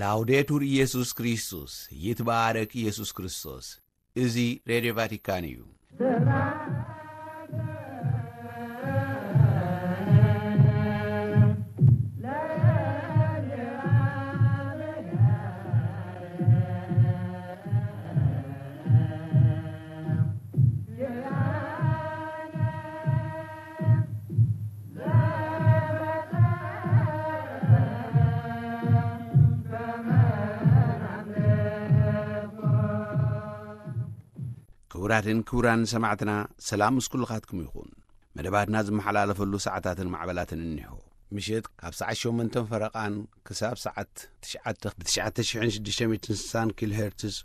ላውዴቱር ኢየሱስ ክርስቶስ፣ ይትባረክ ኢየሱስ ክርስቶስ። እዚ ሬድዮ ቫቲካን እዩ። ክቡራትን ክቡራን ሰማዕትና፣ ሰላም ምስ ኩልኻትኩም ይኹን። መደባትና ዝመሓላለፈሉ ሰዓታትን ማዕበላትን እኒሆ። ምሽት ካብ ሰዓት ሸሞንተን ፈረቓን ክሳብ ሰዓት ትሽዓተ ብ ትሽዓተ ሽሕን ሽዱሽተ ሚእትን ስሳን ኪሎ ሄርትስ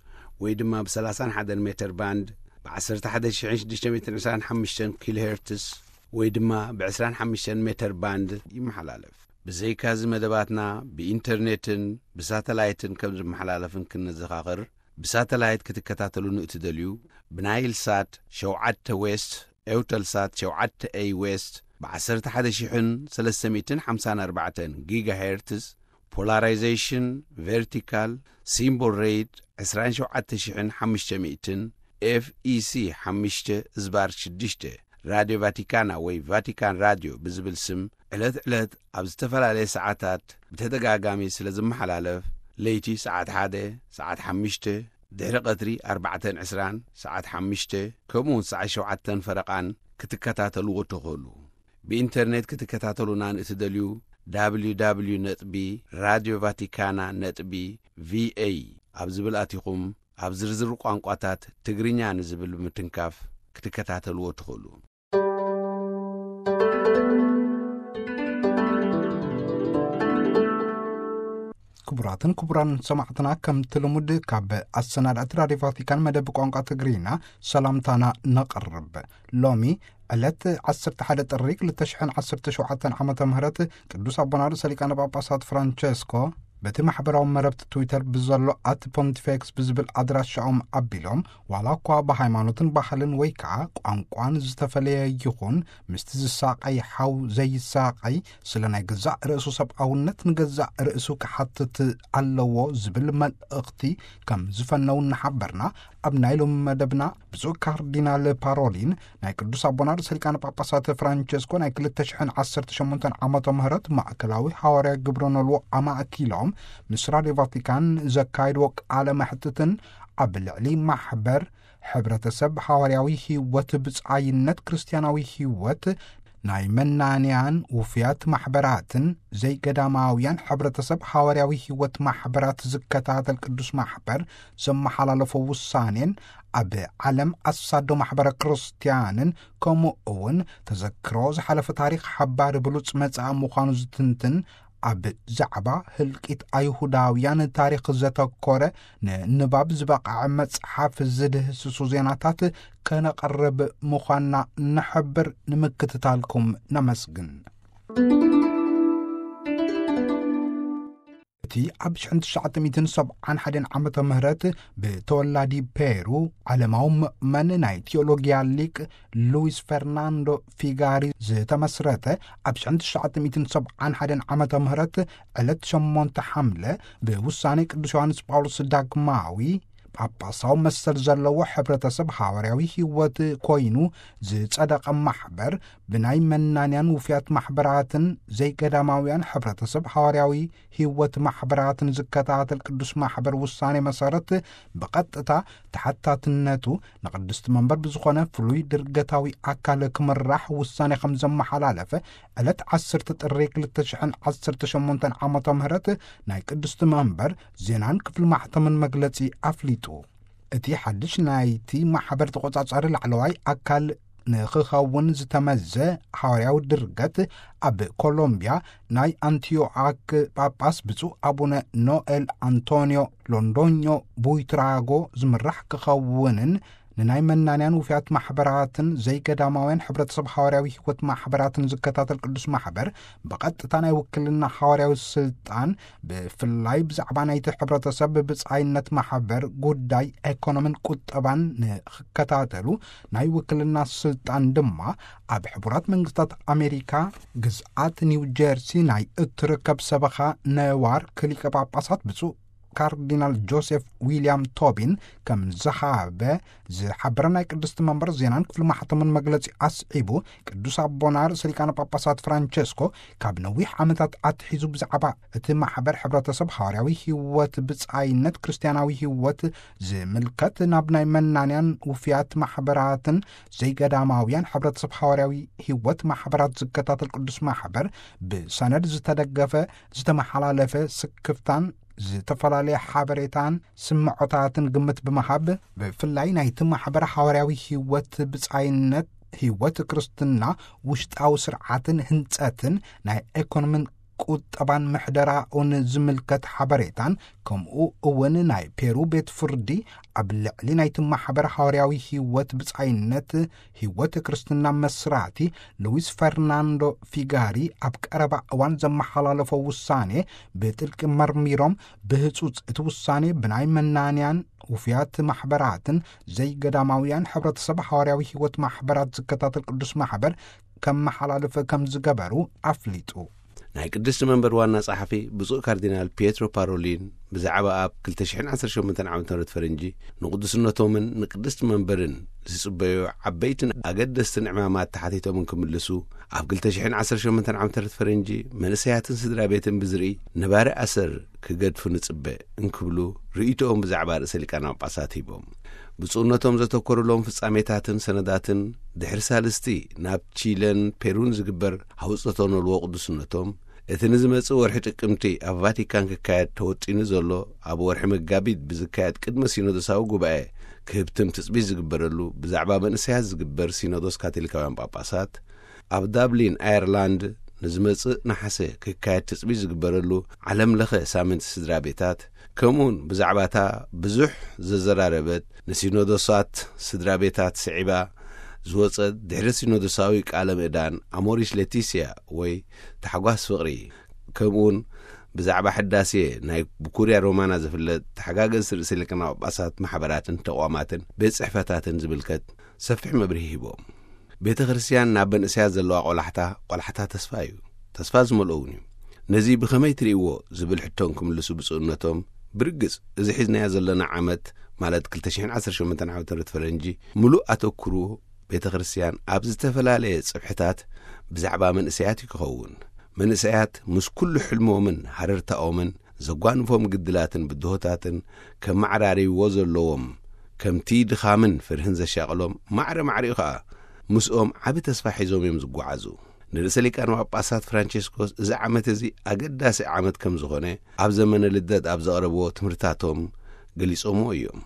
ወይ ድማ ብ ሰላሳን ሓደን ሜተር ባንድ፣ ብ ዓሰርተ ሓደ ሽሕን ሽዱሽተ ሚእትን ዕስራን ሓሙሽተን ኪሎ ሄርትስ ወይ ድማ ብ ዕስራን ሓሙሽተን ሜተር ባንድ ይመሓላለፍ። ብዘይካዚ መደባትና ብኢንተርኔትን ብሳተላይትን ከም ዝመሓላለፍን ክንዘኻኽር፣ ብሳተላይት ክትከታተሉ ንእትደልዩ፣ ብናይል ሳት ሸውዓተ ዌስት፣ ኤውተል ሳት ሸውዓተ ኤይ ዌስት፣ ብ ዓሰርተ ሓደ ሽሕን ሰለስተ ሚእትን ሓምሳን ኣርባዕተን ጊጋ ሄርትዝ፣ ፖላራይዜሽን ቨርቲካል፣ ሲምቦል ሬት ዕስራን ሸውዓተ ሽሕን ሓሙሽተ ሚእትን፣ ኤፍ ኢ ሲ ሓሙሽተ ዝባር ሽዱሽተ፣ ራድዮ ቫቲካና ወይ ቫቲካን ራድዮ ብዝብል ስም ዕለት ዕለት ኣብ ዝተፈላለየ ሰዓታት ብተደጋጋሚ ስለ ዝመሓላለፍ፣ ለይቲ ሰዓት ሓደ፣ ሰዓት ሓሙሽተ፣ ድሕሪ ቀትሪ ኣርባዕተን ዕስራን፣ ሰዓት ሓሙሽተ፣ ከምኡ እውን ሰዓት ሸውዓተን ፈረቓን ክትከታተልዎ ትኽእሉ። ብኢንተርኔት ክትከታተሉና ንእትደልዩ፣ ደብሊው ደብሊው ደብሊው ነጥቢ ራድዮ ቫቲካና ነጥቢ ቪ ኤ ኣብ ዝብል ኣቲኹም፣ ኣብ ዝርዝር ቋንቋታት ትግርኛ ንዝብል ብምትንካፍ ክትከታተልዎ ትኽእሉ። ክቡራትን ክቡራን ሰማዕትና፣ ከምቲ ልሙድ ካብ ኣሰናዳእቲ ራድዮ ቫቲካን መደብ ቋንቋ ትግርኛ ሰላምታና ነቕርብ። ሎሚ ዕለት ዓሰርተ ሓደ ጥሪ ክልተ ሽሕን ዓሰርተ ሸውዓተን ዓመተ ምህረት ቅዱስ ኣቦና ርእሰ ሊቃነ ጳጳሳት ፍራንቸስኮ በቲ ማሕበራዊ መረብቲ ትዊተር ብዘሎ ኣት ፖንቲፌክስ ብዝብል ኣድራሻኦም ኣቢሎም፣ ዋላ እኳ ብሃይማኖትን ባህልን ወይ ከዓ ቋንቋን ዝተፈለየ ይኹን፣ ምስቲ ዝሳቐይ ሓው ዘይሳቐይ፣ ስለ ናይ ገዛእ ርእሱ ሰብኣውነት ንገዛእ ርእሱ ክሓትት ኣለዎ ዝብል መልእኽቲ ከም ዝፈነው እናሓበርና፣ ኣብ ናይ ሎሚ መደብና ብፁዕ ካርዲናል ፓሮሊን ናይ ቅዱስ ኣቦና ርእሰ ሊቃነ ጳጳሳት ፍራንቸስኮ ናይ ክልተ ሽሕን ዓሰርተ ሸሞንተን ዓመተ ምህረት ማእከላዊ ሃዋርያ ግብረ ኖልዎ ኣማእኪሎም ምስ ራድዮ ቫቲካን ዘካየድዎ ቃለ መሕትትን ኣብ ልዕሊ ማሕበር፣ ሕብረተሰብ፣ ሃዋርያዊ ህይወት፣ ብጻይነት፣ ክርስትያናዊ ህይወት፣ ናይ መናንያን ውፉያት ማሕበራትን ዘይገዳማውያን ሕብረተሰብ ሃዋርያዊ ህይወት ማሕበራት ዝከታተል ቅዱስ ማሕበር ዘመሓላለፎ ውሳኔን ኣብ ዓለም ኣሳዶ ማሕበረ ክርስትያንን ከምኡ እውን ተዘክሮ ዝሓለፈ ታሪኽ ሓባሪ ብሉጽ መጻኢ ምዃኑ ዝትንትን፣ ኣብ ዛዕባ ህልቂት ኣይሁዳውያን ታሪኽ ዘተኮረ ንንባብ ዝበቕዐ መጽሓፍ ዝድህስሱ ዜናታት ከነቕርብ ምዃንና ንሕብር። ንምክትታልኩም ነመስግን። እቲ ኣብ ሽሕን ትሽዓተ ሚእትን ሰብዓን ሓደን ዓመተ ምህረት ብተወላዲ ፔሩ ዓለማዊ ምእመን ናይ ቴዎሎጊያ ሊቅ ሉዊስ ፈርናንዶ ፊጋሪ ዝተመስረተ፣ ኣብ ሽሕን ትሽዓተ ሚእትን ሰብዓን ሓደን ዓመተ ምህረት ዕለት ሸሞንተ ሓምለ ብውሳኔ ቅዱስ ዮሃንስ ጳውሎስ ዳግማዊ ጳጳሳዊ መሰል ዘለዎ ሕብረተሰብ ሃዋርያዊ ህይወት ኮይኑ ዝጸደቐ ማሕበር፣ ብናይ መናንያን ውፍያት ማሕበራትን ዘይገዳማውያን ሕብረተሰብ ሃዋርያዊ ህይወት ማሕበራትን ዝከታተል ቅዱስ ማሕበር ውሳኔ መሰረት፣ ብቐጥታ ተሓታትነቱ ንቅድስቲ መንበር ብዝኾነ ፍሉይ ድርገታዊ ኣካል ክምራሕ ውሳኔ ከም ዘመሓላለፈ፣ ዕለት ዓሰርተ ጥሪ ክልተ ሽሕን ዓሰርተ ሸሞንተን ዓመተ ምህረት ናይ ቅድስቲ መንበር ዜናን ክፍሊ ማሕተምን መግለጺ ኣፍሊጡ። እቲ ሓድሽ ናይቲ ማሕበር ተቖጻጻሪ ላዕለዋይ ኣካል ንኽኸውን ዝተመዘ ሃዋርያዊ ድርገት፣ ኣብ ኮሎምቢያ ናይ ኣንቲዮኣክ ጳጳስ ብፁዕ ኣቡነ ኖኤል ኣንቶንዮ ሎንዶኞ ቡይትራጎ ዝምራሕ ክኸውንን፣ ንናይ መናንያን ውፍያት ማሕበራትን ዘይገዳማውያን ሕብረተሰብ ሃዋርያዊ ህይወት ማሕበራትን ዝከታተል ቅዱስ ማሕበር ብቐጥታ ናይ ውክልና ሃዋርያዊ ስልጣን፣ ብፍላይ ብዛዕባ ናይቲ ሕብረተሰብ ብጻይነት ማሕበር ጉዳይ ኤኮኖምን ቁጠባን ንኽከታተሉ ናይ ውክልና ስልጣን ድማ ኣብ ሕቡራት መንግስታት ኣሜሪካ ግዝኣት ኒው ጀርሲ ናይ እትርከብ ሰበኻ ነዋርክ ሊቀ ጳጳሳት ብፁዕ ካርዲናል ጆሴፍ ዊልያም ቶቢን ከም ዝሃበ ዝሓበረ ናይ ቅድስቲ መንበር ዜናን ክፍሊ ማሕተምን መግለጺ ኣስዒቡ፣ ቅዱስ ኣቦና ርእሰ ሊቃነ ጳጳሳት ፍራንቸስኮ ካብ ነዊሕ ዓመታት ኣትሒዙ ብዛዕባ እቲ ማሕበር ሕብረተሰብ ሃዋርያዊ ህይወት ብጻይነት ክርስትያናዊ ህይወት ዝምልከት ናብ ናይ መናንያን ውፍያት ማሕበራትን ዘይገዳማውያን ሕብረተሰብ ሃዋርያዊ ህይወት ማሕበራት ዝከታተል ቅዱስ ማሕበር ብሰነድ ዝተደገፈ ዝተመሓላለፈ ስክፍታን ዝተፈላለየ ሓበሬታን ስምዖታትን ግምት ብምሃብ፣ ብፍላይ ናይቲ ማሕበር ሃዋርያዊ ህይወት ብጻይነት ህይወት ክርስትና ውሽጣዊ ስርዓትን ህንጸትን ናይ ኤኮኖምን ቁጠባን ምሕደራኡን ዝምልከት ሓበሬታን፣ ከምኡ እውን ናይ ፔሩ ቤት ፍርዲ ኣብ ልዕሊ ናይቲ ማሕበር ሃዋርያዊ ህይወት ብጻይነት ህይወት ክርስትና መስራቲ ሉዊስ ፈርናንዶ ፊጋሪ ኣብ ቀረባ እዋን ዘመሓላለፎ ውሳኔ ብጥልቂ መርሚሮም፣ ብህጹጽ እቲ ውሳኔ ብናይ መናንያን ውፍያት ማሕበራትን ዘይገዳማውያን ሕብረተሰብ ሃዋርያዊ ህይወት ማሕበራት ዝከታተል ቅዱስ ማሕበር ከመሓላልፍ ከም ዝገበሩ ኣፍሊጡ። ናይ ቅድስቲ መንበር ዋና ጸሓፊ ብፁዕ ካርዲናል ፒየትሮ ፓሮሊን ብዛዕባ ኣብ ክልተ ሽሕን ዓሰርተ ሸሞንተን ዓመተ ምህረት ፈረንጂ ንቅዱስነቶምን ንቅድስቲ መንበርን ዝጽበዩ ዓበይትን ኣገደስትን ዕማማት ተሓቲቶም እንክምልሱ፣ ኣብ ክልተ ሽሕን ዓሰርተ ሸሞንተን ዓመተ ምህረት ፈረንጂ መንእሰያትን ስድራ ቤትን ብዝርኢ ነባሪ ኣሰር ክገድፉ ንጽበ እንክብሉ ርእይቶኦም ብዛዕባ ርእሰ ሊቃነ ጳጳሳት ሂቦም። ብፁዕነቶም ዘተኮሩሎም ፍጻሜታትን ሰነዳትን ድሕሪ ሳልስቲ ናብ ቺለን ፔሩን ዝግበር ኣውጽእቶ ነልዎ ቅዱስነቶም፣ እቲ ንዝመጽእ ወርሒ ጥቅምቲ ኣብ ቫቲካን ክካየድ ተወጢኑ ዘሎ ኣብ ወርሒ መጋቢት ብዝካየድ ቅድመ ሲኖዶሳዊ ጉባኤ ክህብትም ትጽቢት ዝግበረሉ ብዛዕባ መንእሰያት ዝግበር ሲኖዶስ ካቶሊካውያን ጳጳሳት፣ ኣብ ዳብሊን ኣየርላንድ ንዝመጽእ ነሓሰ ክካየድ ትጽቢት ዝግበረሉ ዓለም ለኸ ሳምንቲ ስድራ ቤታት፣ ከምኡውን ብዛዕባታ ብዙሕ ዘዘራረበት ንሲኖዶሳት ስድራ ቤታት ስዒባ ዝወጸት ድሕሪ ሲኖዶሳዊ ቃለ ምእዳን ኣሞሪስ ሌቲስያ ወይ ታሕጓስ ፍቕሪ፣ ከምኡውን ብዛዕባ ሕዳሴ ናይ ብኩርያ ሮማና ዝፍለጥ ተሓጋገዝቲ ርእሰ ሊቃነ ጳጳሳት ማሕበራትን ተቋማትን ቤት ጽሕፈታትን ዝምልከት ሰፊሕ መብርሂ ሂቦም። ቤተ ክርስቲያን ናብ መንእሰያት ዘለዋ ቆላሕታ፣ ቆላሕታ ተስፋ እዩ። ተስፋ ዝመልኦ እውን እዩ። ነዚ ብኸመይ ትርእይዎ ዝብል ሕቶ እንክምልሱ ብፁዕነቶም፣ ብርግጽ እዚ ሒዝናዮ ዘለና ዓመት፣ ማለት ክልተ ሽሕን ዓሰርተ ሸሞንተን ዓመተ ምህረት ፈረንጂ፣ ምሉእ ኣተኩርዎ ቤተ ክርስቲያን ኣብ ዝተፈላለየ ጽፍሕታት ብዛዕባ መንእሰያት እዩ ክኸውን። መንእሰያት ምስ ኩሉ ሕልሞምን ሃረርታኦምን ዘጓንፎም ግድላትን ብድሆታትን ከመዓራርይዎ ዘለዎም፣ ከምቲ ድኻምን ፍርህን ዘሻቕሎም ማዕረ ማዕሪኡ ኸኣ ምስኦም ዓቢ ተስፋ ሒዞም እዮም ዝጓዓዙ። ንርእሰ ሊቃነ ጳጳሳት ፍራንቸስኮስ እዚ ዓመት እዚ ኣገዳሲ ዓመት ከም ዝኾነ ኣብ ዘመነ ልደት ኣብ ዘቕረብዎ ትምህርታቶም ገሊጾምዎ እዮም።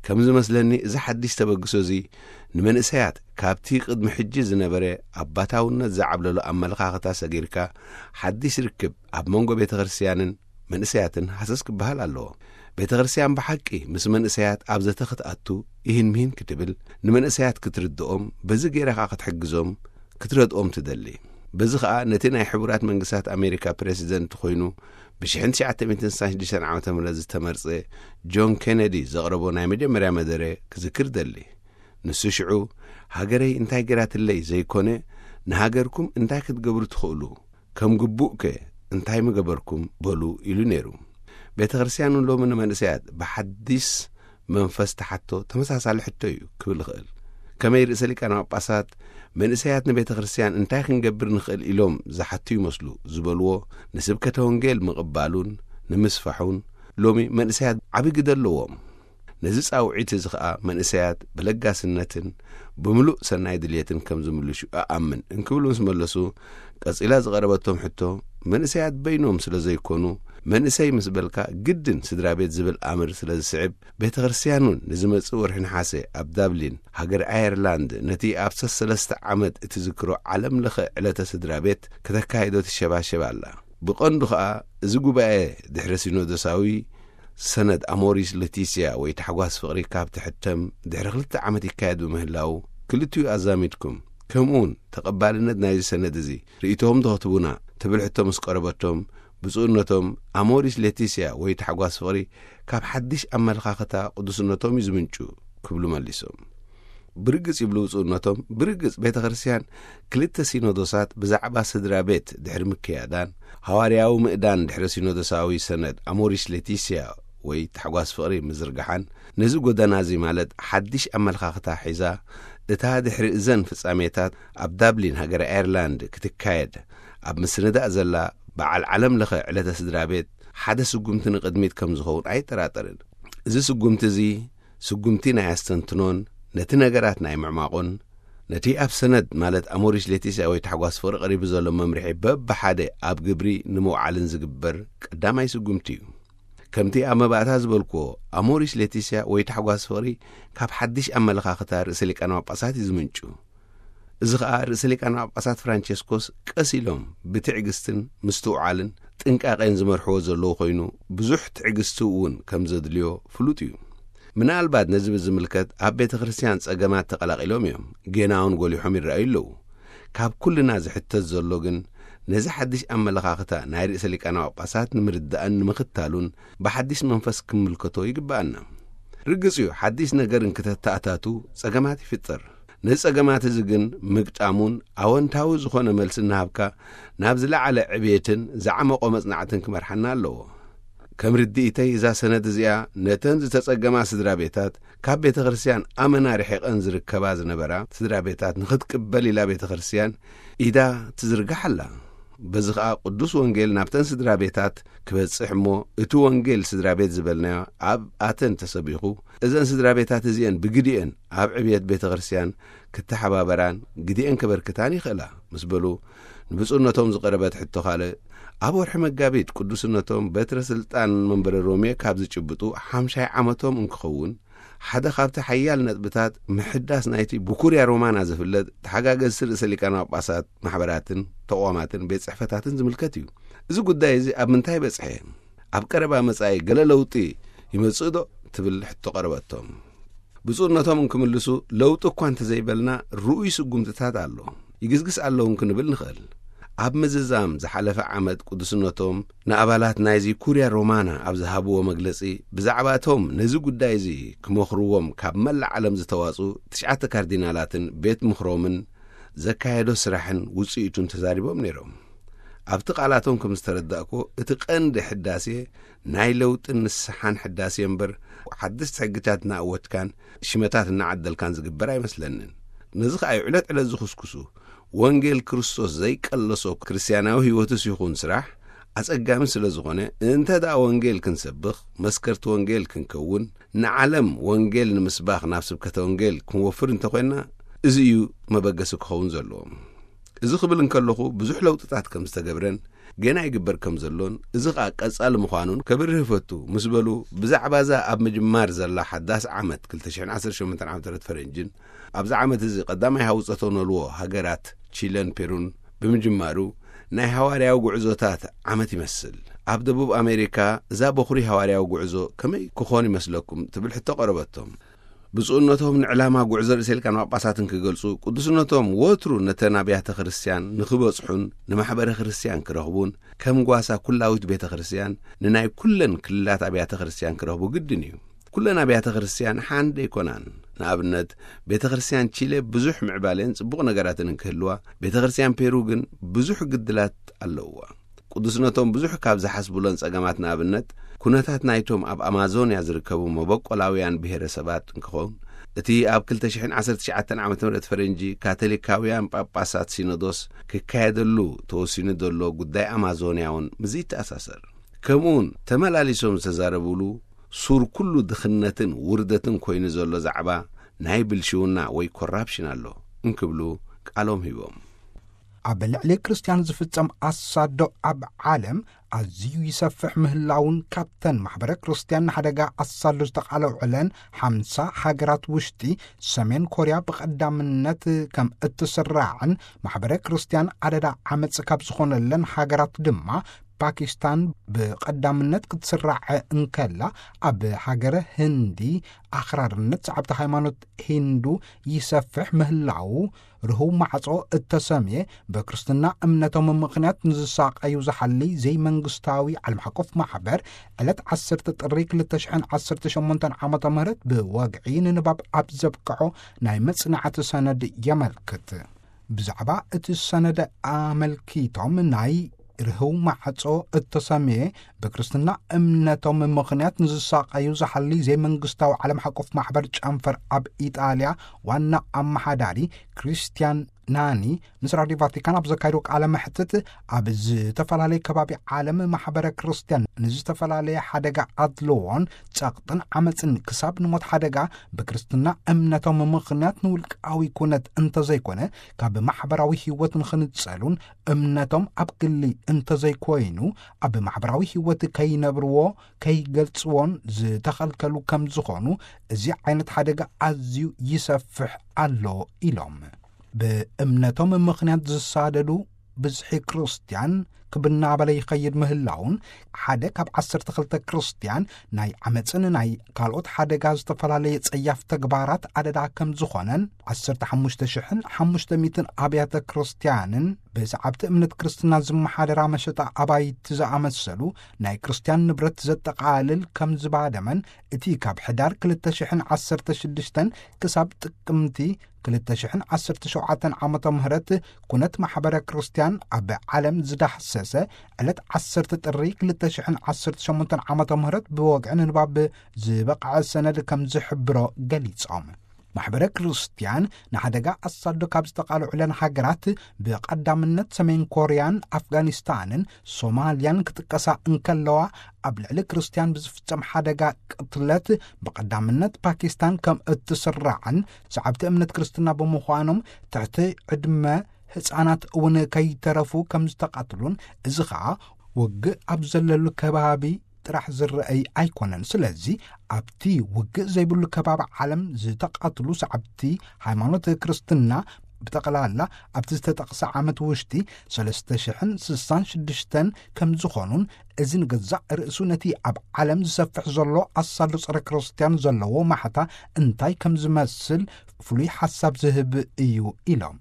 ከም ዝመስለኒ፣ እዚ ሓድሽ ተበግሶ እዚ ንመንእሰያት ካብቲ ቅድሚ ሕጂ ዝነበረ ኣባታውነት ዝዓብለሎ ኣመለኻኽታ ሰጊርካ፣ ሓድሽ ርክብ ኣብ መንጎ ቤተ ክርስቲያንን መንእሰያትን ሃሰስ ክበሃል ኣለዎ። ቤተ ክርስቲያን ብሓቂ ምስ መንእሰያት ኣብ ዘተ ክትኣቱ፣ ይህን ምሂን ክትብል፣ ንመንእሰያት ክትርድኦም፣ በዚ ገይራ ኸኣ ክትሕግዞም፣ ክትረድኦም ትደሊ። በዚ ኸኣ ነቲ ናይ ሕቡራት መንግስታት ኣሜሪካ ፕሬሲደንት ኮይኑ ብሽሕን ትሽዓተ ሚእትን ስሳን ሽዱሽተን ዓመተ ምህረት ዝተመርጸ ጆን ኬነዲ ዘቕረቦ ናይ መጀመርያ መደረ ክዝክር ደሊ። ንሱ ሽዑ፣ ሃገረይ እንታይ ገይራትለይ ዘይኮነ፣ ንሃገርኩም እንታይ ክትገብሩ ትኽእሉ፣ ከም ግቡእከ እንታይ ምገበርኩም በሉ ኢሉ ነይሩ። ቤተ ክርስቲያን እውን ሎሚ ንመንእሰያት ብሓዲስ መንፈስ ትሓቶ ተመሳሳሊ ሕቶ እዩ ክብል ይኽእል። ከመይ ርእሰ ሊቃነ ጳጳሳት መንእሰያት ንቤተ ክርስቲያን እንታይ ክንገብር ንኽእል ኢሎም ዝሓቱ ይመስሉ ዝበልዎ ንስብከተ ወንጌል ምቕባሉን ንምስፋሑን ሎሚ መንእሰያት ዓቢ ግደ ኣለዎም። ነዚ ጻውዒት እዚ ኸኣ መንእሰያት ብለጋስነትን ብምሉእ ሰናይ ድልየትን ከም ዝምልሹ እኣምን እንክብሉ ምስ መለሱ፣ ቀጺላ ዝቐረበቶም ሕቶ፣ መንእሰያት በይኖም ስለ ዘይኮኑ፣ መንእሰይ ምስ በልካ ግድን ስድራ ቤት ዝብል ኣምር ስለ ዝስዕብ፣ ቤተ ክርስቲያን እውን ንዝመጽእ ወርሒ ነሓሰ ኣብ ዳብሊን ሃገር ኣየርላንድ ነቲ ኣብ ሰለስተ ዓመት እትዝክሮ ዓለም ለኸ ዕለተ ስድራ ቤት ከተካይዶ ትሸባሸብ ኣላ። ብቐንዱ ኸኣ እዚ ጉባኤ ድሕሪ ሲኖዶሳዊ ሰነድ ኣሞሪስ ለቲስያ ወይ ታሕጓስ ፍቕሪ ካብ ትሕተም ድሕሪ ክልተ ዓመት ይካየድ ብምህላው፣ ክልቲኡ ኣዛሚድኩም፣ ከምኡውን ተቐባልነት ናይዚ ሰነድ እዚ ርእይቶኹም ተኽትቡና ትብል ሕቶ ምስ ቀረበቶም፣ ብፁዕነቶም ኣሞሪስ ለቲስያ ወይ ታሕጓስ ፍቕሪ ካብ ሓድሽ ኣመለኻኽታ ቅዱስነቶም እዩ ዝምንጩ ክብሉ መሊሶም። ብርግጽ ይብሉ ብፁዕነቶም፣ ብርግጽ ቤተ ክርስቲያን ክልተ ሲኖዶሳት ብዛዕባ ስድራ ቤት ድሕሪ ምክያዳን፣ ሃዋርያዊ ምእዳን ድሕሪ ሲኖዶሳዊ ሰነድ ኣሞሪስ ሌቲስያ ወይ ታሕጓስ ፍቕሪ ምዝርግሓን፣ ነዚ ጎደና እዚ ማለት ሓድሽ ኣመለኻኽታ ሒዛ፣ እታ ድሕሪ እዘን ፍጻሜታት ኣብ ዳብሊን ሃገረ ኣየርላንድ ክትካየድ ኣብ ምስንዳእ ዘላ በዓል ዓለም ለኸ ዕለተ ስድራ ቤት ሓደ ስጉምቲ ንቕድሚት ከም ዝኸውን ኣይጠራጠርን። እዚ ስጉምቲ እዚ ስጉምቲ ናይ ኣስተንትኖን ነቲ ነገራት ናይ ምዕማቑን፣ ነቲ ኣብ ሰነድ ማለት ኣሞሪስ ሌቲስያ ወይ ታሕጓስ ፍቕሪ ቀሪቡ ዘሎ መምርሒ በብሓደ ኣብ ግብሪ ንምውዓልን ዝግበር ቀዳማይ ስጉምቲ እዩ። ከምቲ ኣብ መባእታ ዝበልክዎ፣ ኣሞሪስ ሌቲስያ ወይ ታሕጓስ ፍቕሪ ካብ ሓድሽ ኣመለኻኽታ ርእሰ ሊቃነ ጳጳሳት እዩ ዝምንጩ። እዚ ኸኣ ርእሰ ሊቃነ ጳጳሳት ፍራንቸስኮስ ቀስ ኢሎም ብትዕግስትን ምስትውዓልን ጥንቃቄን ዝመርሕዎ ዘለዉ ኮይኑ፣ ብዙሕ ትዕግስቲ እውን ከም ዘድልዮ ፍሉጥ እዩ። ምናልባት ነዚ ብዝምልከት ኣብ ቤተ ክርስቲያን ጸገማት ተቐላቒሎም እዮም፣ ጌና እውን ጎሊሖም ይረኣዩ ኣለዉ። ካብ ኩልና ዝሕተት ዘሎ ግን፣ ነዚ ሓድሽ ኣመለኻኽታ ናይ ርእሰ ሊቃነ ጳጳሳት ንምርዳእን ንምኽታሉን ብሓድሽ መንፈስ ክንምልከቶ ይግብኣና። ርግጽ እዩ፣ ሓድሽ ነገር እንክተተኣታቱ ጸገማት ይፍጠር። ነዚ ጸገማት እዚ ግን ምግጣሙን ኣወንታዊ ዝኾነ መልሲ እናሃብካ ናብ ዝለዓለ ዕብየትን ዝዓመቖ መጽናዕትን ክመርሓና ኣለዎ። ከም ርድኢተይ፣ እዛ ሰነድ እዚኣ ነተን ዝተጸገማ ስድራ ቤታት፣ ካብ ቤተ ክርስቲያን ኣመና ርሒቐን ዝርከባ ዝነበራ ስድራ ቤታት ንኽትቅበል ኢላ ቤተ ክርስቲያን ኢዳ ትዝርጋሕ ኣላ። በዚ ኸኣ ቅዱስ ወንጌል ናብተን ስድራ ቤታት ክበጽሕ እሞ፣ እቲ ወንጌል ስድራ ቤት ዝበልናዮ ኣብ ኣተን ተሰቢኹ፣ እዘን ስድራ ቤታት እዚአን ብግዲአን ኣብ ዕብየት ቤተ ክርስቲያን ክተሓባበራን ግዲአን ከበርክታን ይኽእላ ምስ በሉ፣ ንብፁዕነቶም ዝቐረበት ሕቶ ካልእ፣ ኣብ ወርሒ መጋቢት ቅዱስነቶም በትረ ስልጣን መንበረ ሮሜ ካብ ዝጭብጡ ሓምሻይ ዓመቶም እንክኸውን፣ ሓደ ካብቲ ሓያል ነጥብታት ምሕዳስ ናይቲ ብኩርያ ሮማና ዝፍለጥ ተሓጋገዝቲ ርእሰ ሊቃነ ጳጳሳት ማሕበራትን ተቋማትን ቤት ጽሕፈታትን ዝምልከት እዩ። እዚ ጉዳይ እዚ ኣብ ምንታይ በጽሐ? ኣብ ቀረባ መጻኢ ገለ ለውጢ ይመጽእ ዶ? ትብል ሕቶ ቀረበቶም። ብፁዕነቶም እንክምልሱ፣ ለውጢ እኳ እንተዘይበልና፣ ርኡይ ስጉምትታት ኣሎ፣ ይግስግስ ኣለውን ክንብል ንኽእል። ኣብ ምዝዛም ዝሓለፈ ዓመት ቅዱስነቶም ንኣባላት ናይዚ ኩርያ ሮማና ኣብ ዝሃብዎ መግለጺ፣ ብዛዕባ እቶም ነዚ ጉዳይ እዚ ክመኽርዎም ካብ መላእ ዓለም ዝተዋጹ ትሽዓተ ካርዲናላትን ቤት ምኽሮምን ዘካየዶ ስራሕን ውጽኢቱን ተዛሪቦም ነይሮም። ኣብቲ ቃላቶም ከም ዝተረዳእኩ፣ እቲ ቀንዲ ሕዳሴ ናይ ለውጥን ንስሓን ሕዳሴ እምበር፣ ሓደስቲ ሕግታት እናእወትካን ሽመታት እናዓደልካን ዝግበር ኣይመስለንን። ነዚ ኸኣ እዩ ዕለት ዕለት ዝኹስኩሱ። ወንጌል ክርስቶስ ዘይቀለሶ ክርስትያናዊ ህይወትስ ይኹን ስራሕ ኣጸጋሚ ስለ ዝኾነ፣ እንተ ደኣ ወንጌል ክንሰብኽ፣ መስከርቲ ወንጌል ክንከውን፣ ንዓለም ወንጌል ንምስባኽ ናብ ስብከተ ወንጌል ክንወፍር እንተኾይንና፣ እዚ እዩ መበገሲ ክኸውን ዘለዎ። እዚ ክብል እንከለኹ፣ ብዙሕ ለውጥታት ከም ዝተገብረን ጌና ይግበር ከም ዘሎን፣ እዚ ኸኣ ቀጻሊ ምዃኑን ከብርህ እፈቱ ምስ በሉ፣ ብዛዕባ እዛ ኣብ ምጅማር ዘላ ሓዳስ ዓመት ክልተ ሽሕን ዓሰርተ ሸሞንተን ዓመተ ምህረት ፈረንጅን፣ ኣብዚ ዓመት እዚ ቀዳማይ ሃውጸቶ ነልዎ ሃገራት ቺለን ፔሩን ብምጅማሩ፣ ናይ ሃዋርያዊ ጉዕዞታት ዓመት ይመስል። ኣብ ደቡብ ኣሜሪካ እዛ በኹሪ ሃዋርያዊ ጉዕዞ ከመይ ክኾን ይመስለኩም? ትብል ሕቶ ቀረበቶም። ብፁዕነቶም ንዕላማ ጉዕዞ ርእሰ ሊቃነ ጳጳሳትን ክገልጹ፣ ቅዱስነቶም ወትሩ ነተን ኣብያተ ክርስቲያን ንኽበጽሑን ንማሕበረ ክርስቲያን ክረኽቡን፣ ከም ጓሳ ኩላዊት ቤተ ክርስቲያን ንናይ ኩለን ክልላት ኣብያተ ክርስቲያን ክረኽቡ ግድን እዩ። ኩለን ኣብያተ ክርስቲያን ሓንደ ኣይኮናን። ንኣብነት፣ ቤተ ክርስቲያን ቺለ ብዙሕ ምዕባሌን ጽቡቕ ነገራትን እንክህልዋ፣ ቤተ ክርስቲያን ፔሩ ግን ብዙሕ ግድላት ኣለውዋ። ቅዱስነቶም ብዙሕ ካብ ዝሓስብሎን ጸገማት ንኣብነት፣ ኩነታት ናይቶም ኣብ ኣማዞንያ ዝርከቡ መበቆላውያን ብሄረሰባት እንክኸውን፣ እቲ ኣብ ክልተ ሽሕን ዓሰርተ ትሽዓተን ዓመተ ምህረት ፈረንጂ ካቶሊካውያን ጳጳሳት ሲኖዶስ ክካየደሉ ተወሲኑ ዘሎ ጉዳይ ኣማዞንያ እውን ምስዚ ይተኣሳሰር። ከምኡውን ተመላሊሶም ዝተዛረቡሉ ሱር ኩሉ ድኽነትን ውርደትን ኮይኑ ዘሎ ዛዕባ ናይ ብልሽውና ወይ ኮራፕሽን ኣሎ እንክብሉ ቃሎም ሂቦም። ኣብ ልዕሊ ክርስትያን ዝፍጸም ኣሳዶ ኣብ ዓለም ኣዝዩ ይሰፍሕ ምህላውን፣ ካብተን ማሕበረ ክርስትያን ንሓደጋ ኣሳዶ ዝተቓለዐለን ሓምሳ ሃገራት ውሽጢ፣ ሰሜን ኮርያ ብቐዳምነት ከም እትስራዕን፣ ማሕበረ ክርስትያን ኣደዳ ዓመጽ ካብ ዝኾነለን ሃገራት ድማ ፓኪስታን ብቐዳምነት ክትስራዕ እንከላ፣ ኣብ ሃገረ ህንዲ ኣኽራርነት ሰዓብቲ ሃይማኖት ሂንዱ ይሰፍሕ ምህላዉ፣ ርህው ማዕጾ እተሰምየ ብክርስትና እምነቶም ምኽንያት ንዝሳቐዩ ዝሓሊ ዘይመንግስታዊ ዓለም ሓቆፍ ማሕበር፣ ዕለት ዓሰርተ ጥሪ ክልተ ሽሕን ዓሰርተ ሸሞንተን ዓመተ ምህረት ብወግዒ ንንባብ ኣብ ዘብቅዖ ናይ መጽናዕቲ ሰነድ የመልክት። ብዛዕባ እቲ ሰነድ ኣመልኪቶም፣ ናይ ርህው ማዕጾ እተሰምየ ብክርስትና እምነቶም ምኽንያት ንዝሳቐዩ ዝሓሊ ዘይመንግስታዊ ዓለም ሓቆፍ ማሕበር ጨንፈር ኣብ ኢጣልያ ዋና ኣመሓዳሪ ክሪስቲያን ናኒ ምስ ራድዮ ቫቲካን ኣብ ዘካየዶ ቃለ መሕትት፣ ኣብ ዝተፈላለየ ከባቢ ዓለም ማሕበረ ክርስቲያን ንዝተፈላለየ ሓደጋ ኣድልዎን ጸቕጥን ዓመፅን ክሳብ ንሞት ሓደጋ ብክርስትና እምነቶም ምኽንያት ንውልቃዊ ኩነት እንተዘይኮነ ካብ ማሕበራዊ ህይወት ንኽንጸሉን እምነቶም ኣብ ግሊ እንተዘይኮይኑ ኣብ ማሕበራዊ ህይወት ከይነብርዎ ከይገልጽዎን ዝተኸልከሉ ከም ዝኾኑ፣ እዚ ዓይነት ሓደጋ ኣዝዩ ይሰፍሕ ኣሎ ኢሎም። ብእምነቶም ምኽንያት ዝሳደዱ ብዝሒ ክርስትያን ክብናበለ ይኸይድ ምህላውን፣ ሓደ ካብ ዓሰርተ ክልተ ክርስትያን ናይ ዓመፅን ናይ ካልኦት ሓደጋ ዝተፈላለየ ጸያፍ ተግባራት ኣደዳ ከም ዝኾነን፣ ዓሰርተ ሓሙሽተ ሽሕን ሓሙሽተ ሚእትን ኣብያተ ክርስትያንን ብሰዓብቲ እምነት ክርስትና ዝመሓደራ መሸጣ ኣባይቲ ዝኣመሰሉ ናይ ክርስትያን ንብረት ዘጠቓልል ከም ዝባደመን፣ እቲ ካብ ሕዳር ክልተ ሽሕን ዓሰርተ ሽዱሽተን ክሳብ ጥቅምቲ ክልተ ሽሕን ዓሰርተ ሸውዓተን ዓመተ ምህረት ኩነት ማሕበረ ክርስትያን ኣብ ዓለም ዝዳህሰሰ ዕለት ዓሰርተ ጥሪ ክልተ ሽሕን ዓሰርተ ሸሞንተን ዓመተ ምህረት ብወግዒ ንንባብ ዝበቕዐ ሰነድ ከም ዝሕብሮ ገሊጾም። ማሕበረ ክርስትያን ንሓደጋ ኣሳዶ ካብ ዝተቓልዑለን ሃገራት ብቐዳምነት ሰሜን ኮርያን ኣፍጋኒስታንን ሶማልያን ክጥቀሳ እንከለዋ፣ ኣብ ልዕሊ ክርስትያን ብዝፍጸም ሓደጋ ቅትለት ብቐዳምነት ፓኪስታን ከም እትስራዕን፣ ሰዓብቲ እምነት ክርስትና ብምዃኖም ትሕቲ ዕድመ ህፃናት እውን ከይተረፉ ከም ዝተቐትሉን፣ እዚ ኸዓ ውግእ ኣብ ዘለሉ ከባቢ ጥራሕ ዝረአይ ኣይኮነን። ስለዚ ኣብቲ ውግእ ዘይብሉ ከባቢ ዓለም ዝተቐትሉ ሰዓብቲ ሃይማኖት ክርስትና ብጠቕላላ ኣብቲ ዝተጠቕሰ ዓመት ውሽጢ ሰለስተ ሽሕን ስሳን ሽዱሽተን ከም ዝኾኑን፣ እዚ ንገዛእ ርእሱ ነቲ ኣብ ዓለም ዝሰፍሕ ዘሎ ኣሳዶ ጸረ ክርስትያን ዘለዎ ማሕታ እንታይ ከም ዝመስል ፍሉይ ሓሳብ ዝህብ እዩ ኢሎም።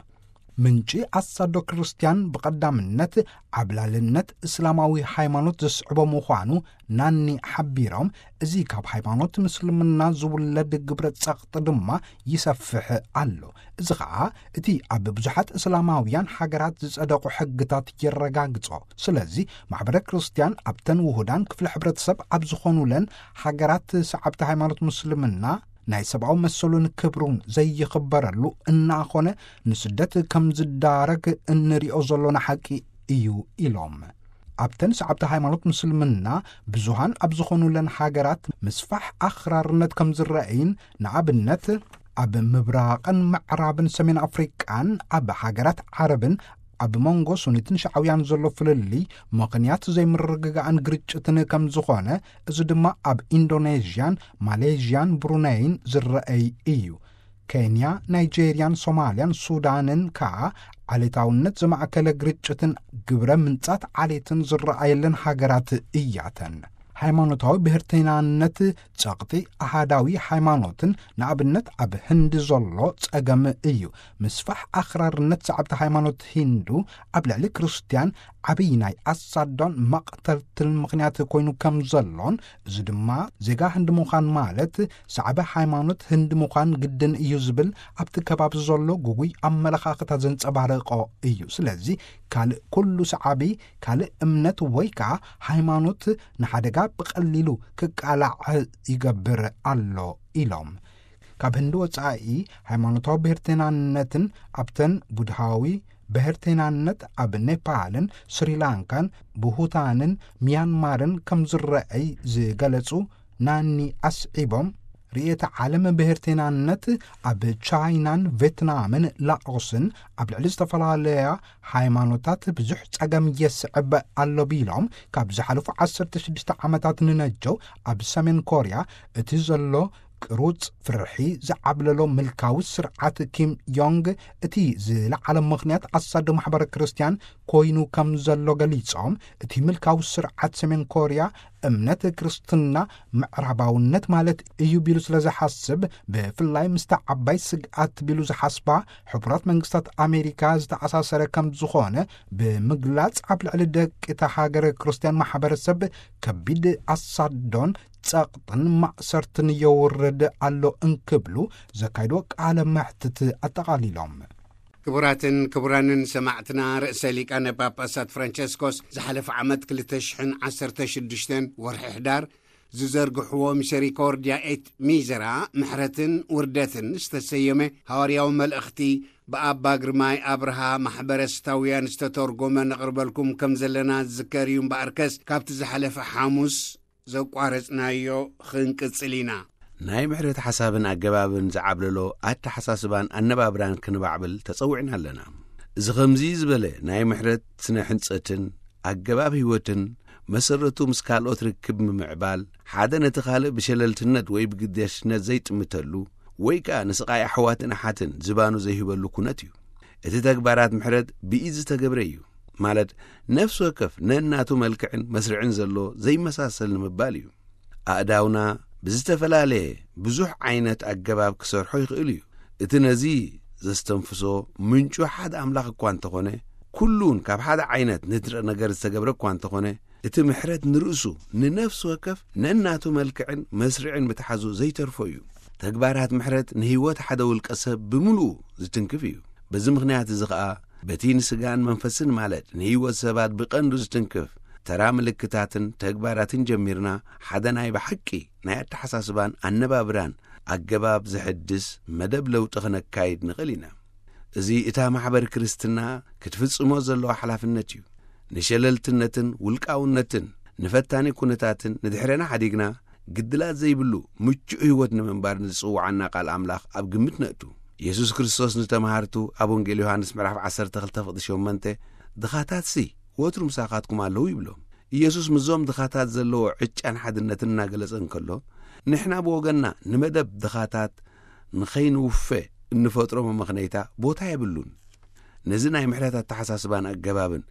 ምንጪ ኣሳዶ ክርስትያን ብቐዳምነት ዓብላልነት እስላማዊ ሃይማኖት ዘስዕቦ ምዃኑ ናኒ ሓቢሮም፣ እዚ ካብ ሃይማኖት ምስልምና ዝውለድ ግብረ ጸቕጢ ድማ ይሰፍሕ ኣሎ። እዚ ኸኣ እቲ ኣብ ብዙሓት እስላማውያን ሃገራት ዝጸደቑ ሕግታት የረጋግጾ። ስለዚ ማሕበረ ክርስትያን ኣብተን ውሁዳን ክፍለ ሕብረተሰብ ኣብ ዝኾኑለን ሃገራት ሰዓብቲ ሃይማኖት ምስልምና ናይ ሰብኣዊ መሰሉን ክብሩን ዘይኽበረሉ እናኾነ ንስደት ከም ዝዳረግ እንሪኦ ዘሎና ሓቂ እዩ ኢሎም። ኣብተን ሰዓብቲ ሃይማኖት ምስልምና ብዙሃን ኣብ ዝኾኑለን ሃገራት ምስፋሕ ኣኽራርነት ከም ዝረአይን፣ ንኣብነት ኣብ ምብራቕን ምዕራብን ሰሜን ኣፍሪቃን ኣብ ሃገራት ዓረብን ኣብ መንጎ ሱኒትን ሸዓውያን ዘሎ ፍልልይ ምኽንያት ዘይምርግጋእን ግርጭትን ከም ዝኾነ፣ እዚ ድማ ኣብ ኢንዶኔዥያን ማሌዥያን ብሩነይን ዝረአይ እዩ። ኬንያ፣ ናይጄርያን ሶማልያን ሱዳንን ከኣ ዓሌታውነት ዘማእከለ ግርጭትን ግብረ ምንጻት ዓሌትን ዝረኣየለን ሃገራት እያተን። ሃይማኖታዊ ብሔርተይናነት ጸቕጢ ኣሃዳዊ ሃይማኖትን ንኣብነት ኣብ ህንዲ ዘሎ ጸገም እዩ። ምስፋሕ ኣኽራርነት ሰዓብቲ ሃይማኖት ሂንዱ ኣብ ልዕሊ ክርስትያን ዓብዪ ናይ ኣሳዶን መቕተልትን ምኽንያት ኮይኑ ከም ዘሎን፣ እዚ ድማ ዜጋ ህንዲ ምዃን ማለት ሰዓቢ ሃይማኖት ህንዲ ምዃን ግድን እዩ ዝብል ኣብቲ ከባቢ ዘሎ ግጉይ ኣመለኻኽታ ዘንጸባርቆ እዩ። ስለዚ ካልእ ኩሉ ሰዓቢ ካልእ እምነት ወይ ከኣ ሃይማኖት ንሓደጋ ብቐሊሉ ክቃላዕ ይገብር ኣሎ ኢሎም። ካብ ህንዲ ወጻኢ ሃይማኖታዊ ብሔርተይናነትን ኣብተን ቡድሃዊ ብሔርተይናነት ኣብ ኔፓልን ስሪላንካን ብሁታንን ሚያንማርን ከም ዝረኣይ ዝገለጹ ናኒ ኣስዒቦም፣ ርእየተ ዓለም ብሔርተይናነት ኣብ ቻይናን ቬትናምን ላኦስን ኣብ ልዕሊ ዝተፈላለያ ሃይማኖታት ብዙሕ ጸገም የስዕብ ኣሎ ቢሎም፣ ካብ ዝሓለፉ ዓሰርተ ሽዱሽተ ዓመታት ንነጀው ኣብ ሰሜን ኮርያ እቲ ዘሎ ቅሩጽ ፍርሒ ዝዓብለሎ ምልካዊ ስርዓት ኪም ዮንግ፣ እቲ ዝለዓለ ምኽንያት ኣሳዶ ማሕበረ ክርስትያን ኮይኑ ከም ዘሎ ገሊጾም፣ እቲ ምልካዊ ስርዓት ሰሜን ኮርያ እምነት ክርስትና ምዕራባውነት ማለት እዩ ቢሉ ስለ ዝሓስብ፣ ብፍላይ ምስታ ዓባይ ስግኣት ቢሉ ዝሓስባ ሕቡራት መንግስታት ኣሜሪካ ዝተኣሳሰረ ከም ዝኾነ ብምግላጽ፣ ኣብ ልዕሊ ደቂ እታ ሃገር ክርስትያን ማሕበረሰብ ከቢድ ኣሳዶን ጸቕጥን ማእሰርትን የውርድ ኣሎ እንክብሉ ዘካይድዎ ቃለ መሕትት ኣጠቓሊሎም። ክቡራትን ክቡራንን ሰማዕትና፣ ርእሰ ሊቃነ ጳጳሳት ፍራንቸስኮስ ዝሓለፈ ዓመት ክልተ ሽሕን ዓሰርተ ሽዱሽተን ወርሒ ሕዳር ዝዘርግሕዎ ሚሰሪኮርድያ ኤት ሚዘራ፣ ምሕረትን ውርደትን ዝተሰየመ ሃዋርያዊ መልእኽቲ ብኣባ ግርማይ ኣብርሃ ማሕበረስታውያን ዝተተርጎመ ነቕርበልኩም ከም ዘለና ዝዝከር እዩ። እምበኣርከስ ካብቲ ዝሓለፈ ሓሙስ ዘቋረጽናዮ ክንቅጽል ኢና። ናይ ምሕረት ሓሳብን ኣገባብን ዝዓብለሎ ኣተሓሳስባን ኣነባብራን ክንባዕብል ተጸዊዕና ኣለና። እዚ ኸምዚ ዝበለ ናይ ምሕረት ስነ ሕንጸትን ኣገባብ ህይወትን መሰረቱ ምስ ካልኦት ርክብ ምምዕባል፣ ሓደ ነቲ ካልእ ብሸለልትነት ወይ ብግደሽነት ዘይጥምተሉ፣ ወይ ከኣ ንስቓይ ኣሕዋትን ኣሓትን ዝባኑ ዘይህበሉ ኩነት እዩ። እቲ ተግባራት ምሕረት ብኢድ ዝተገብረ እዩ፣ ማለት ነፍሲ ወከፍ ነናቱ መልክዕን መስርዕን ዘሎ ዘይመሳሰል ንምባል እዩ። ኣእዳውና ብዝተፈላለየ ብዙሕ ዓይነት ኣገባብ ክሰርሖ ይኽእል እዩ። እቲ ነዚ ዘስተንፍሶ ምንጩ ሓደ ኣምላኽ እኳ እንተኾነ፣ ኩሉን ካብ ሓደ ዓይነት ንጥረ ነገር ዝተገብረ እኳ እንተኾነ፣ እቲ ምሕረት ንርእሱ ንነፍሲ ወከፍ ነናቱ መልክዕን መስርዕን ምትሓዙ ዘይተርፎ እዩ። ተግባራት ምሕረት ንህይወት ሓደ ውልቀ ሰብ ብምሉኡ ዝትንክፍ እዩ። በዚ ምኽንያት እዚ ኸኣ በቲ ንስጋን መንፈስን ማለት ንህይወት ሰባት ብቐንዱ ዝትንክፍ ተራ ምልክታትን ተግባራትን ጀሚርና፣ ሓደ ናይ ብሓቂ ናይ ኣተሓሳስባን ኣነባብራን ኣገባብ ዘሕድስ መደብ ለውጢ ኸነካይድ ንኽእል ኢና። እዚ እታ ማሕበር ክርስትና ክትፍጽሞ ዘለዋ ሓላፍነት እዩ። ንሸለልትነትን ውልቃውነትን ንፈታኒ ኩነታትን ንድሕረና ሓዲግና፣ ግድላት ዘይብሉ ምቹእ ህይወት ንምንባር ንዝጽውዓና ቃል ኣምላኽ ኣብ ግምት ነእቱ። የሱስ ክርስቶስ ንተማሃርቱ ኣብ ወንጌል ዮሃንስ ምዕራፍ ዓሰርተ ክልተ ፍቕዲ ሸሞንተ፣ "ድኻታትሲ ወትሩ ምሳኻትኩም ኣለዉ" ይብሎም። ኢየሱስ ምስዞም ድኻታት ዘለዎ ዕጫን ሓድነትን እናገለጸ እንከሎ፣ ንሕና ብወገንና ንመደብ ድኻታት ንኸይንውፈ እንፈጥሮ መመኽነይታ ቦታ የብሉን። ነዚ ናይ ምሕረት ኣተሓሳስባን ኣገባብን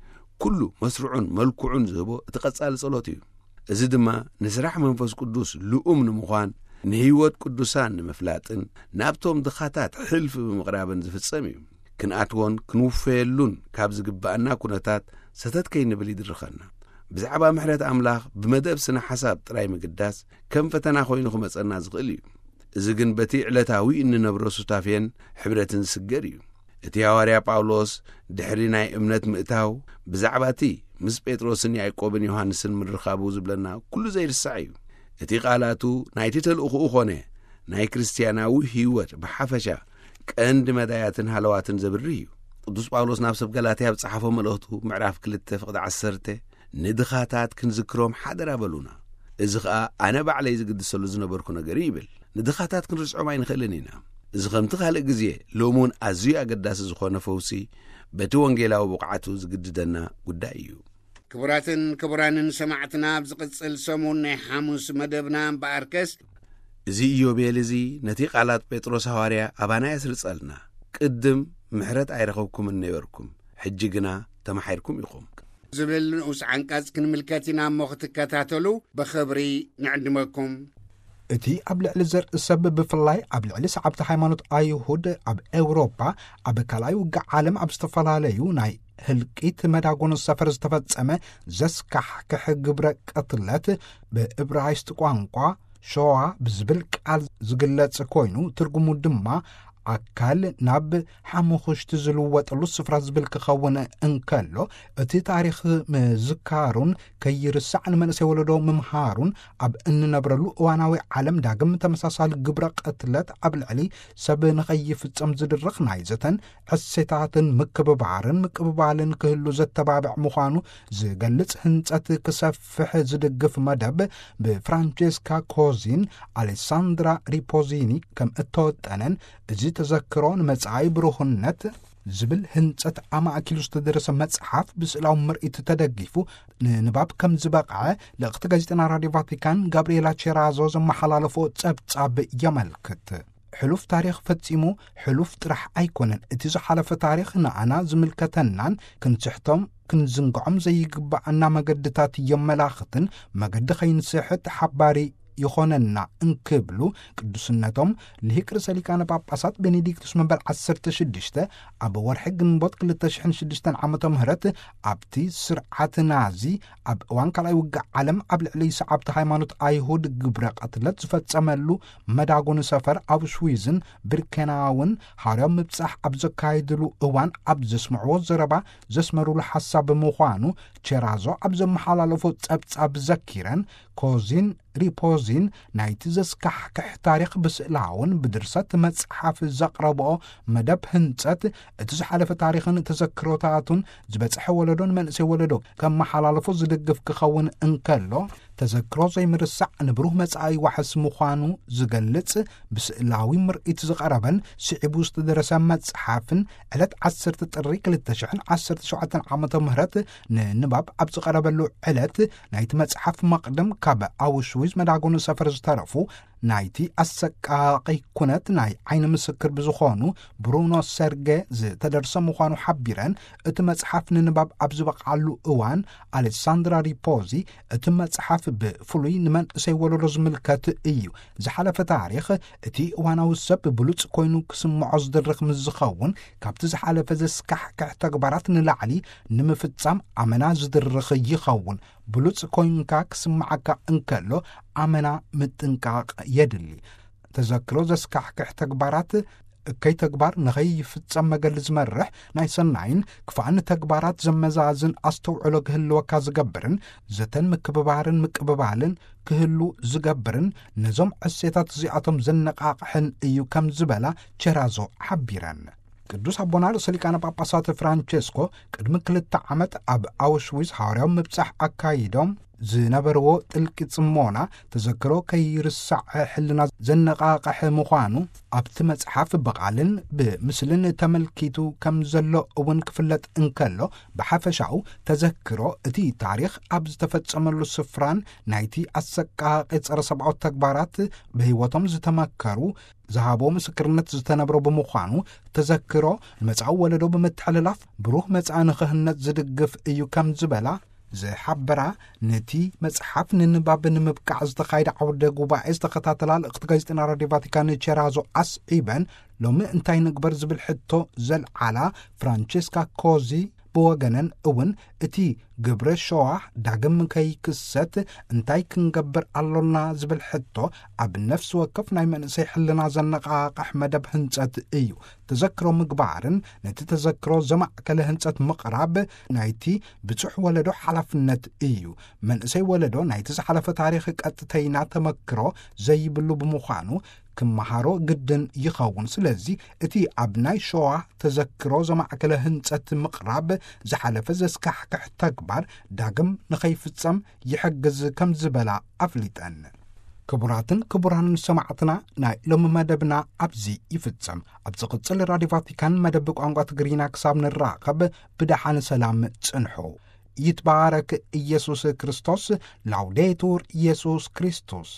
ኩሉ መስርዑን መልክዑን ዝህቦ እቲ ቀጻሊ ጸሎት እዩ። እዚ ድማ ንስራሕ መንፈስ ቅዱስ ልኡም ንምዃን፣ ንህይወት ቅዱሳን ንምፍላጥን ናብቶም ድኻታት ሕልፊ ብምቕራብን ዝፍጸም እዩ። ክንኣትዎን ክንውፈየሉን ካብ ዝግብኣና ኩነታት ሰተት ከይንብል ይድርኸና። ብዛዕባ ምሕረት ኣምላኽ ብመደብ ስነ ሓሳብ ጥራይ ምግዳስ ከም ፈተና ኮይኑ ክመጸና ዝኽእል እዩ። እዚ ግን በቲ ዕለታዊ እንነብሮ ሱታፌን ሕብረትን ዝስገር እዩ። እቲ ሃዋርያ ጳውሎስ ድሕሪ ናይ እምነት ምእታው ብዛዕባ እቲ ምስ ጴጥሮስን ያዕቆብን ዮሃንስን ምርኻቡ ዝብለና ኩሉ ዘይርሳዕ እዩ። እቲ ቃላቱ ናይቲ ተልእኾኡ ኾነ ናይ ክርስትያናዊ ህይወት ብሓፈሻ ቀንዲ መዳያትን ሃለዋትን ዘብርህ እዩ። ቅዱስ ጳውሎስ ናብ ሰብ ገላትያ ኣብ ጸሓፎ መልእኽቱ ምዕራፍ ክልተ ፍቕዲ ዓሰርተ፣ "ንድኻታት ክንዝክሮም ሓደራ በሉና። እዚ ኸኣ ኣነ ባዕለይ ዝግድሰሉ ዝነበርኩ ነገር እዩ" ይብል። ንድኻታት ክንርስዖም ኣይንኽእልን ኢና። እዚ ከምቲ ካልእ ግዜ፣ ሎሚ እውን ኣዝዩ ኣገዳሲ ዝኾነ ፈውሲ በቲ ወንጌላዊ ብቕዓቱ ዝግድደና ጉዳይ እዩ። ክቡራትን ክቡራንን ሰማዕትና፣ ኣብ ዝቕጽል ሰሙን ናይ ሓሙስ መደብና እምበኣርከስ፣ እዚ ኢዮቤል እዚ ነቲ ቃላት ጴጥሮስ ሃዋርያ ኣባና የስርጸልና። "ቅድም ምሕረት ኣይረኸብኩምን ነበርኩም፣ ሕጂ ግና ተማሒርኩም ኢኹም" ዝብል ንኡስ ዓንቀጽ ክንምልከት ኢና እሞ ክትከታተሉ ብኽብሪ ንዕድመኩም። እቲ ኣብ ልዕሊ ዘርኢ ሰብ፣ ብፍላይ ኣብ ልዕሊ ሰዓብቲ ሃይማኖት ኣይሁድ ኣብ ኤውሮጳ ኣብ ካልኣይ ውግእ ዓለም ኣብ ዝተፈላለዩ ናይ ህልቂት መዳጎኒ ሰፈር ዝተፈጸመ ዘስካሕክሕ ግብረ ቅትለት፣ ብእብራይስጥ ቋንቋ ሾዋ ብዝብል ቃል ዝግለጽ ኮይኑ፣ ትርጉሙ ድማ ኣካል ናብ ሓሙኽሽቲ ዝልወጠሉ ስፍራ ዝብል ክኸውን እንከሎ፣ እቲ ታሪኽ ምዝካሩን ከይርሳዕ ንመንእሰይ ወለዶ ምምሃሩን፣ ኣብ እንነብረሉ እዋናዊ ዓለም ዳግም ተመሳሳሊ ግብረ ቅትለት ኣብ ልዕሊ ሰብ ንኸይፍጸም ዝድርኽ ናይ ዘተን ዕሴታትን ምክብባርን ምቅብባልን ክህሉ ዘተባብዕ ምዃኑ ዝገልጽ ህንጸት ክሰፍሕ ዝድግፍ መደብ ብፍራንቼስካ ኮዚን ኣሌሳንድራ ሪፖዚኒ ከም እተወጠነን፣ እዚ ተዘክሮ ንመጻኢ ብሩህነት ዝብል ህንጸት ኣማእኪሉ ዝተደረሰ መጽሓፍ ብስእላዊ ምርኢት ተደጊፉ ንንባብ ከም ዝበቕዐ ልእኽቲ ጋዜጠና ራድዮ ቫቲካን ጋብርኤላ ቼራዞ ዘመሓላለፎ ጸብጻብ የመልክት። ሕሉፍ ታሪኽ ፈጺሙ ሕሉፍ ጥራሕ ኣይኮነን። እቲ ዝሓለፈ ታሪኽ ንኣና ዝምልከተናን ክንስሕቶም ክንዝንግዖም ዘይግባኣና መገድታት የመላኽትን መገዲ ኸይንስሕት ሓባሪ ይኾነና እንክብሉ ቅዱስነቶም ልሂቅ ርእሰ ሊቃነ ጳጳሳት ቤኔዲክቱስ መበል ዓሰርተ ሽዱሽተ ኣብ ወርሒ ግንቦት ክልተ ሽሕን ሽዱሽተን ዓመተ ምህረት ኣብቲ ስርዓት ናዚ ኣብ እዋን ካልኣይ ውግእ ዓለም ኣብ ልዕሊ ሰዓብቲ ሃይማኖት ኣይሁድ ግብረ ቀትለት ዝፈጸመሉ መዳጎኒ ሰፈር ኣውሽዊዝን ብርኬናውን ሃዋርያዊ ምብጻሕ ኣብ ዘካየድሉ እዋን ኣብ ዘስምዕዎ ዘረባ ዘስመሩሉ ሓሳብ ምዃኑ ቼራዞ ኣብ ዘመሓላለፎ ጸብጻብ ዘኪረን፣ ኮዚን ሪፖዚን ናይቲ ዘስካሕክሕ ታሪኽ ብስእላውን ብድርሰት መጽሓፍ ዘቕረብኦ መደብ ህንጸት እቲ ዝሓለፈ ታሪኽን ተዘክሮታቱን ዝበጽሐ ወለዶን መንእሰይ ወለዶ ከመሓላለፎ ዝድግፍ ክኸውን እንከሎ፣ ተዘክሮ ዘይምርሳዕ ንብሩህ መጻኢ ዋሕስ ምዃኑ ዝገልጽ ብስእላዊ ምርኢት ዝቐረበን ስዒቡ ዝተደረሰ መጽሓፍን ዕለት ዓሰርተ ጥሪ ክልተ ሽሕን ዓሰርተ ሸውዓተን ዓመተ ምህረት ንንባብ ኣብ ዝቐረበሉ ዕለት ናይቲ መጽሓፍ መቕድም ካብ ኣውሽዊዝ መዳጎኒ ሰፈር ዝተረፉ ናይቲ ኣሰቃቒ ኩነት ናይ ዓይኒ ምስክር ብዝኾኑ ብሩኖ ሰርጌ ዝተደርሰ ምዃኑ ሓቢረን፣ እቲ መጽሓፍ ንንባብ ኣብ ዝበቕዓሉ እዋን ኣሌሳንድራ ሪፖዚ እቲ መጽሓፍ ብፍሉይ ንመንእሰይ ወለዶ ዝምልከት እዩ። ዝሓለፈ ታሪኽ እቲ እዋናዊ ሰብ ብሉጽ ኮይኑ ክስምዖ ዝድርኽ ምስ ዝኸውን ካብቲ ዝሓለፈ ዘስካሕክሕ ተግባራት ንላዕሊ ንምፍጻም ኣመና ዝድርኽ ይኸውን። ብሉጽ ኮይንካ ክስምዓካ እንከሎ ኣመና ምጥንቃቕ የድሊ። ተዘክሮ ዘስካሕክሕ ተግባራት እከይ ተግባር ንኸይፍጸም መገዲ ዝመርሕ ናይ ሰናይን ክፋእን ተግባራት ዘመዛዝን ኣስተውዕሎ ክህልወካ ዝገብርን ዘተን ምክብባርን ምቅብባልን ክህሉ ዝገብርን ነዞም ዕሴታት እዚኣቶም ዘነቓቕሕን እዩ ከም ዝበላ ቸራዞ ሓቢረን። ቅዱስ ኣቦና ርእሰ ሊቃነ ጳጳሳት ፍራንቸስኮ ቅድሚ ክልተ ዓመት ኣብ ኣውሽዊዝ ሃዋርያዊ ምብጻሕ ኣካይዶም ዝነበርዎ ጥልቂ ጽሞና ተዘክሮ ከይርሳዕ ሕልና ዘነቓቕሕ ምዃኑ ኣብቲ መጽሓፍ ብቓልን ብምስልን ተመልኪቱ ከም ዘሎ እውን ክፍለጥ እንከሎ፣ ብሓፈሻኡ ተዘክሮ እቲ ታሪኽ ኣብ ዝተፈጸመሉ ስፍራን ናይቲ ኣሰቃቒ ጸረ ሰብኣዊ ተግባራት ብህይወቶም ዝተመከሩ ዝሃቦ ምስክርነት ዝተነብሮ ብምዃኑ፣ ተዘክሮ ንመጻኢ ወለዶ ብምትሕልላፍ ብሩህ መጻኢ ንኽህነጽ ዝድግፍ እዩ ከም ዝበላ ዝሓበራ፣ ነቲ መጽሓፍ ንንባብ ንምብቃዕ ዝተኻየደ ዓውደ ጉባኤ ዝተኸታተላ ልእኽቲ ጋዜጠና ራድዮ ቫቲካን ቸራዞ ኣስዒበን፣ ሎሚ እንታይ ንግበር ዝብል ሕቶ ዘልዓላ ፍራንቸስካ ኮዚ ብወገነን እውን እቲ ግብረ ሸዋ ዳግም ከይክሰት እንታይ ክንገብር ኣሎና ዝብል ሕቶ ኣብ ነፍሲ ወከፍ ናይ መንእሰይ ሕልና ዘነቓቕሕ መደብ ህንጸት እዩ። ተዘክሮ ምግባርን ነቲ ተዘክሮ ዘማእከለ ህንጸት ምቕራብ ናይቲ ብጹሕ ወለዶ ሓላፍነት እዩ። መንእሰይ ወለዶ ናይቲ ዝሓለፈ ታሪኽ ቀጥተይና ተመክሮ ዘይብሉ ብምዃኑ ክመሃሮ ግድን ይኸውን። ስለዚ እቲ ኣብ ናይ ሸዋ ተዘክሮ ዘማእከለ ህንጸት ምቕራብ ዝሓለፈ ዘስካሕክሕ ተግባር ዳግም ንኸይፍጸም ይሕግዝ ከም ዝበላ ኣፍሊጠን። ክቡራትን ክቡራንን ሰማዕትና ናይ ሎሚ መደብና ኣብዚ ይፍጸም። ኣብ ዝቕጽል ራድዮ ቫቲካን መደብ ቋንቋ ትግርኛ ክሳብ ንራኸብ ብደሓን ሰላም ጽንሑ። ይትባረክ ኢየሱስ ክርስቶስ። ላውዴቱር ኢየሱስ ክርስቶስ።